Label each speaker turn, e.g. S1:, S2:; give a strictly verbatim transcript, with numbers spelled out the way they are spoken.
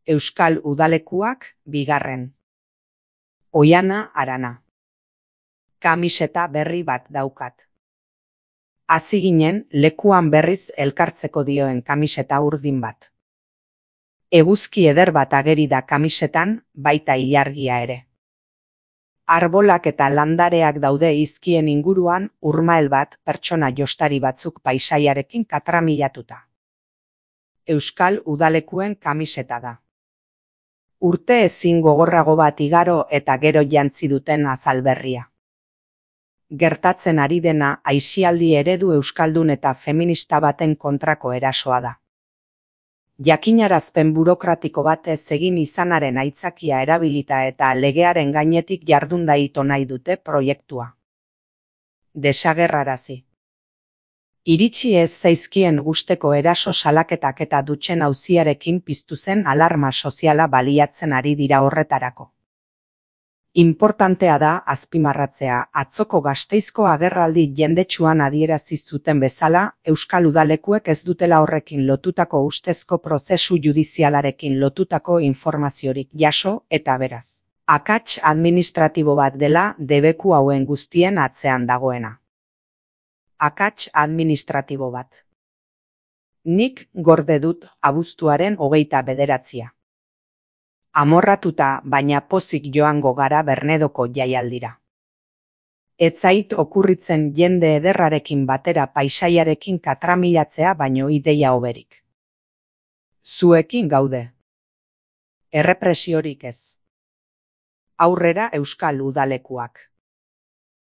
S1: Euskal udalekuak bigarren. Oiana Arana. Kamiseta berri bat daukat. Hasi ginen lekuan berriz elkartzeko dioen kamiseta urdin bat. Eguzki eder bat ageri da kamisetan, baita ilargia ere. Arbolak eta landareak daude izkien inguruan, urmael bat pertsona jostari batzuk paisaiarekin katramilatuta. Euskal udalekuen kamiseta da. Urte ezin gogorrago bat igaro eta gero jantzi duten azalberria. Gertatzen ari dena aisialdi eredu euskaldun eta feminista baten kontrako erasoa da. Jakinarazpen burokratiko batez egin izanaren aitzakia erabilita eta legearen gainetik jardunda ito nahi dute proiektua. Desagerrarazi. Iritsi ez zaizkien gusteko eraso salaketak eta dutxen auziarekin piztu zen alarma soziala baliatzen ari dira horretarako. Inportantea da azpimarratzea, atzoko Gasteizko agerraldi jendetsuan adierazi zuten bezala, Euskal udalekuek ez dutela horrekin lotutako ustezko prozesu judizialarekin lotutako informaziorik jaso eta beraz. Akats administratibo bat dela debeku hauen guztien atzean dagoena. Akats administratibo bat. Nik gorde dut abuztuaren hogeita bederatzia. Amorratuta baina pozik joango gara Bernedoko jaialdira. Ez zait okurritzen jende ederrarekin batera paisaiarekin katramilatzea baino ideia hoberik. Zuekin gaude. Errepresiorik ez. Aurrera Euskal udalekuak.